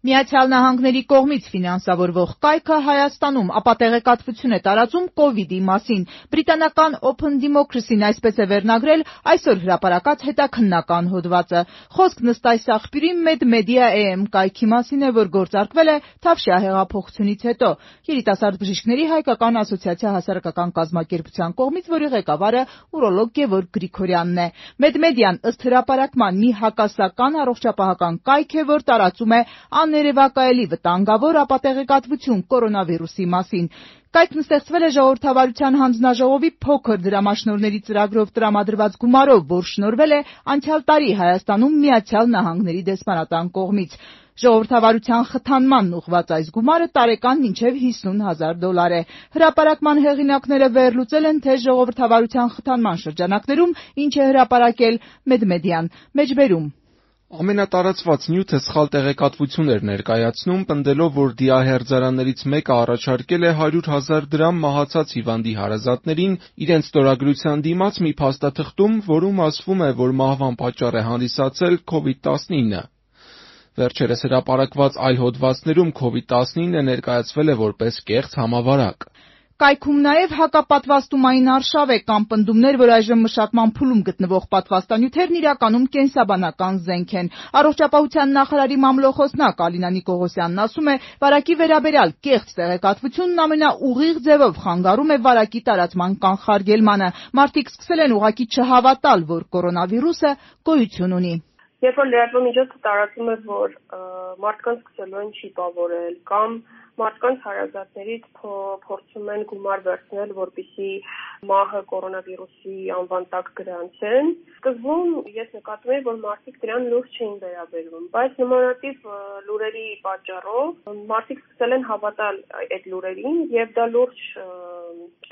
Միացյալ Նահանգների կողմից ֆինանսավորվող կայքը Հայաստանում ապատեղեկատվություն է տարածում կովիդի մասին։ Բրիտանական Open Democracy-ն այսպես է վերնագրել այսօր հրապարակած հետաքննական հոդվածը։ Խոսքն ըստ այս աղբյուրի MedMedia AM կայքի մասին է, որ գործարկվել է Թավշյա հեղափոխությունից հետո։ Երիտասարդ բժիշկների հայկական ասոցիացիա հասարակական կազմակերպության կողմից, որի ղեկավարը ուրոլոգ Գևորգ Գրիգորյանն է։ MedMedia-ն ըստ հրապարակման մի հակասական առողջապահական կայք է, որ տարածում է ներևակայելի վտանգավոր ապատեղեկատվություն կորոնավիրուսի մասին։ Կայքն ստեղծվել է Ժողովրդավարության հանձնաժողովի փոքր դրամաշնորհների ծրագրով տրամադրված գումարով, որ շնորհվել է անցյալ տարի Հայաստանում Միացյալ Նահանգների դեսպանատան կողմից։ Ժողովրդավարության խթանմանն ուղղված այս գումարը տարեկան մինչև $50,000 է։ Հրապարակման հեղինակները վերլուծել են, թե ժողովրդավարության խթանման շրջանակներում ինչ է հրապարակել MedMedia-ն։ Մեջբերում Ամենատարածված նյութը սխալ տեղեկատվություն էր ներկայացնում, պնդելով, որ դիահերձարաններից մեկը առաջարկել է 100,000 դրամ մահացած հիվանդի հարազատներին իրենց ստորագրության դիմաց մի փաստաթղթում, որում ասվում է, որ մահվան պատճառ է հանդիսացել COVID-19։ Վերջերս հրապարակված այլ հոդվածներում COVID-19-ը ներկայացվել է որպես կեղծ համավարակ։ Կայքում նաև հակապատվաստումային արշավ է կամ պնդումներ, որ այժմ մշակման փուլում գտնվող պատվաստանյութերն իրականում կենսաբանական զենք են։ Առողջապահության նախարարի մամլոխոսնակ Ալինա Նիկողոսյանն ասում է, վարակի վերաբերյալ կեղծ տեղեկատվությունն ամենաուղիղ ձևով խանգարում է վարակի տարածման կանխարգելմանը։ Մարդիկ սկսել են ուղղակի չհավատալ, որ կորոնավիրուսը գոյություն ունի։ Երբ որ լրատվամիջոցը տարածում է, որ մարդկանց սկսելու են չիպավորել կամ մարդկանց հարազատներից փորձում են գումար վերցնել, որպեսզի մահը կորոնավիրուսի անվան տակ գրանցեն, սկզբում ես նկատում եմ, որ մարդիկ դրան լուրջ չէին վերաբերվում, բայց նմանատիպ լուրերի պատճառով մարդիկ սկսել են հավատալ այդ լուրերին եւ դա լուրջ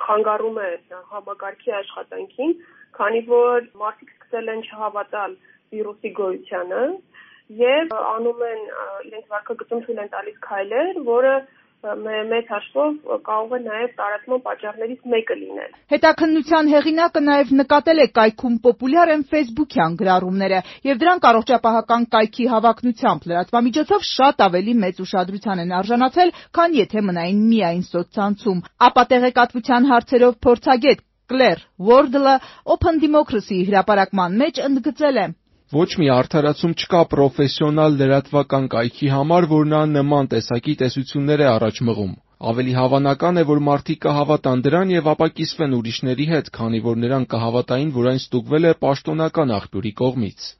խանգարում է համակարգի աշխատանքին, քանի որ մարդիկ սկսել են չհավատալ վիրուսի գոյությանը եւ անում են իրենց վարքագծում թույլ են տալիս քայլեր, որը մեծ հաշվով կարող է նաև տարածման պատճառներից մեկը լինել։ Հետաքննության հեղինակը նաև նկատել է կայքում պոպուլյար են ֆեյսբուքյան գրառումները եւ դրանք առողջապահական կայքի հավակնությամբ լրատվամիջոցով շատ ավելի մեծ ուշադրության են արժանացել, քան եթե մնային միայն սոցցանցում։ Ապատեղեկատվության հարցերով փորձագետ Կլեր Ուորդլը Open Democracy-ի հրապարակման մեջ ընդգծել է. Ոչ մի արդարացում չկա պրոֆեսիոնալ լրատվական կայքի համար, որ նա նման տեսակի տեսություններ է առաջ մղում։ Ավելի հավանական է, որ մարդիկ կհավատան դրան եւ ապակիսվեն ուրիշների հետ, քանի որ նրանք կհավատային, որ այն ստուգվել է պաշտոնական աղբյուրի կողմից։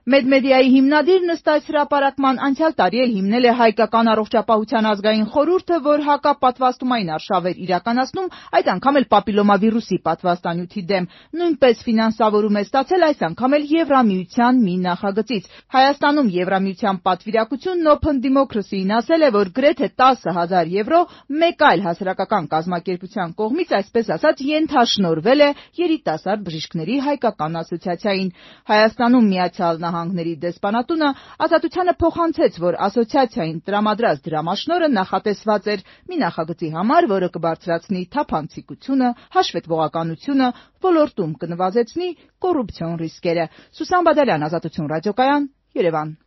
MedMedia-ի հիմնադիրն ըստ այս հրապարակման անցյալ տարի էլ հիմնել է Հայկական առողջապահության ազգային խորհուրդը, որ հակապատվաստումային արշավ էր իրականացնում, այդ անգամ էլ պապիլոմավիրուսի պատվաստանյութի դեմ։ Նույնպես ֆինանսավորում է ստացել այս անգամ էլ Եվրամիության մի նախագծից։ Հայաստանում Եվրամիության պատվիրակությունն Open Democracy-ին ասել է, որ գրեթե 10,000 եվրո մեկ այլ հասարակական կազմակերպության կողմից, այսպես ասած, ենթաշնորհվել է երիտասարդ բժիշկների հայկական ասոցիացիային։ Հայաստանում Միացյալ Նահանգների դեսպանատունը Ազատությանը փոխանցեց, որ ասոցիացիային տրամադրած դրամաշնորհը նախատեսված էր մի նախագծի համար, որը կբարձրացնի թափանցիկությունը, հաշվետվողականությունը, ոլորտում կնվազեցնի կոռուպցիոն ռիսկերը։ Սուսան Բադալյան, Ազատություն ռադիոկայան, Երևան։